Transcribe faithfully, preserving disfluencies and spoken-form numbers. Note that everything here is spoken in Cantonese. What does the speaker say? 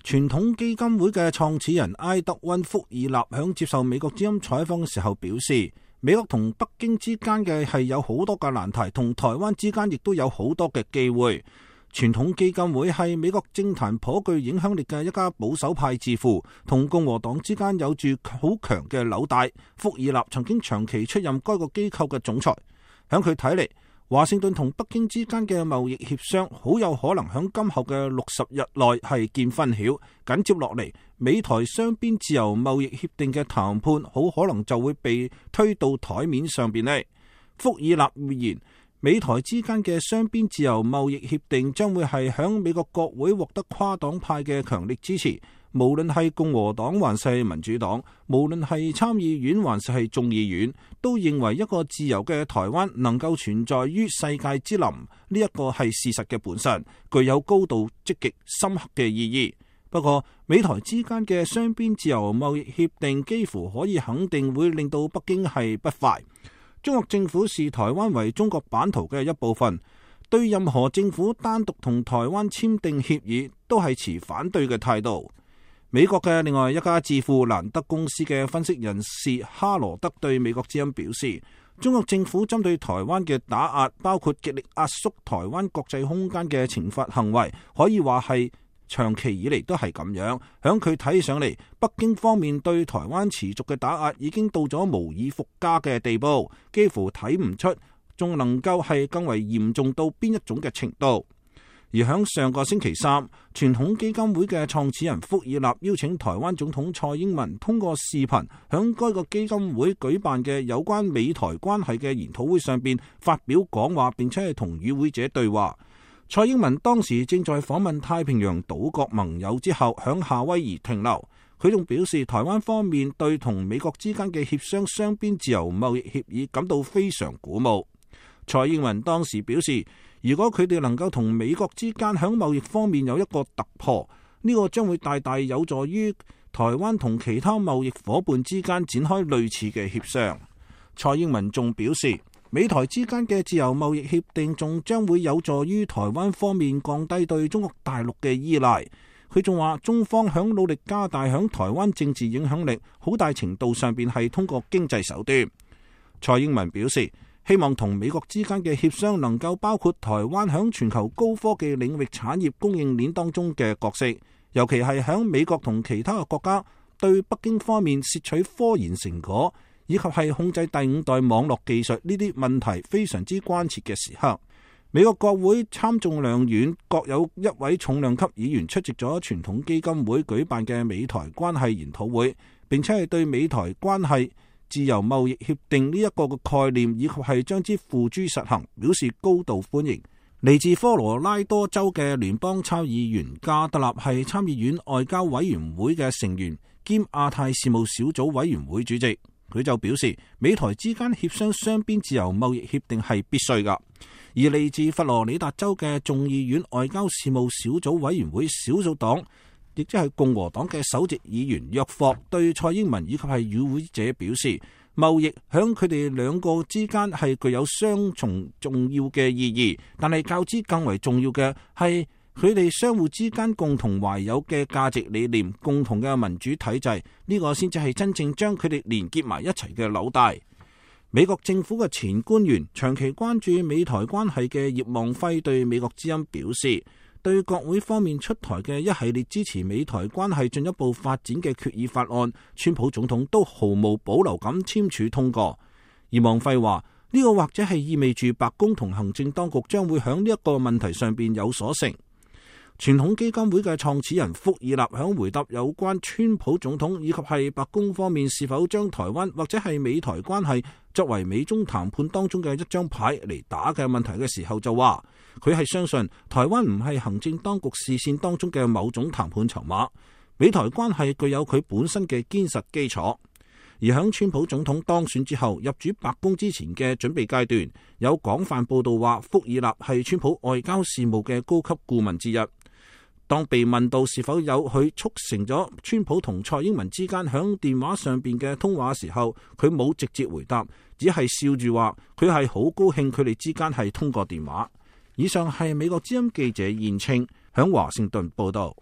傳統基金會嘅創始人埃德溫·福爾納響接受美國之音採訪嘅時候表示，美國同北京之間嘅係有好多嘅難題，同台灣之間亦都有好多嘅機會。傳統基金會係美國政壇頗具影響力嘅一家保守派智庫，同共和黨之間有住好強嘅紐帶。福爾納曾經長期出任該個機構嘅總裁。響佢睇嚟，華盛頓同北京之間嘅貿易協商好有可能響今後嘅六十日內係見分曉。緊接落嚟，美台雙邊自由貿易協定嘅談判好可能就會被推到台面上邊呢。福爾納預言，美台之間嘅雙邊自由貿易協定將會係響美國國會獲得跨黨派嘅強力支持。無論係共和黨還是民主黨，無論係參議院還是係眾議院，都認為一個自由嘅台灣能夠存在於世界之林，呢一個係事實嘅本身，具有高度積極深刻嘅意義。不過，美台之間嘅雙邊自由貿易協定幾乎可以肯定會令到北京係不快。中國政府視台灣為中國版圖嘅一部分，對任何政府單獨同台灣簽訂協議都係持反對嘅態度。美國嘅另外一家智庫蘭德公司嘅分析人士哈羅德對美國之音表示，中國政府針對台灣嘅打壓，包括極力壓縮台灣國際空間嘅懲罰行為，可以話係長期以嚟都係咁樣。響佢睇上嚟，北京方面對台灣持續嘅打壓已經到咗無以復加嘅地步，幾乎睇唔出仲能夠係更為嚴重到邊一種嘅程度。而響上個星期三，傳統基金會嘅創始人福爾納邀請台灣總統蔡英文通過視頻響該個基金會舉辦嘅有關美台關係嘅研討會上邊發表講話，並且係同與會者對話。蔡英文當時正在訪問太平洋島國盟友之後，響夏威夷停留。佢仲表示，台灣方面對同美國之間嘅協商雙邊自由貿易協議感到非常鼓舞。蔡英文當時表示，如果佢哋能夠同美國之間喺貿易方面有一個突破，呢個將會大大有助於台灣同其他貿易夥伴之間展開類似嘅協商。蔡英文仲表示，美台之間嘅自由貿易協定仲將會有助於台灣方面降低對中國大陸嘅依賴。佢仲話，中方響努力加大響台灣政治影響力，好大程度上邊係通過經濟手段。蔡英文表示，希望同美國之間嘅協商能夠包括台灣響全球高科技領域產業供應鏈當中嘅角色，尤其係響美國同其他嘅國家對北京方面竊取科研成果，以及係控制第五代網絡技術呢啲問題非常之關切嘅時刻。美國國會參眾兩院各有一位重量級議員出席咗傳統基金會舉辦嘅美台關係研討會，並且係對美台關係自由貿易協定呢一個嘅概念以及係將之付諸實行表示高度歡迎。嚟自科羅拉多州嘅聯邦參議員加德納係參議院外交委員會嘅成員兼亞太事務小組委員會主席，佢就表示美台之間協商雙邊自由貿易協定係必須噶。而嚟自佛羅里達州嘅眾議院外交事務小組委員會少數黨，亦即係共和黨嘅首席議員約霍對蔡英文以及係與會者表示，貿易響佢哋兩個之間係具有雙重重要嘅意義，但係較之更為重要嘅係佢哋相互之間共同懷有嘅價值理念、共同嘅民主體制，呢個先至係真正將佢哋連結埋一齊嘅紐帶。美國政府嘅前官員、長期關注美台關係嘅葉望輝對美國之音表示，對國會方面出台嘅一系列支持美台關係進一步發展嘅決議法案，川普總統都毫無保留咁簽署通過。葉望輝話，呢個或者係意味住白宮同行政當局將會響呢一個問題上邊有所成。傳統基金會嘅創始人福爾納響回答有關川普總統以及係白宮方面是否將台灣或者係美台關係作為美中談判當中嘅一張牌嚟打嘅問題嘅時候就話，佢係相信台灣唔係行政當局視線當中嘅某種談判籌碼，美台關係具有佢本身嘅堅實基礎。而響川普總統當選之後入主白宮之前嘅準備階段，有廣泛報道話福爾納係川普外交事務嘅高級顧問之一。當被問到是否有佢促成咗川普同蔡英文之間響電話上邊嘅通話時候，佢冇直接回答，只係笑住話佢係好高興佢哋之間係通過電話。以上係美國之音記者燕青響華盛頓報道。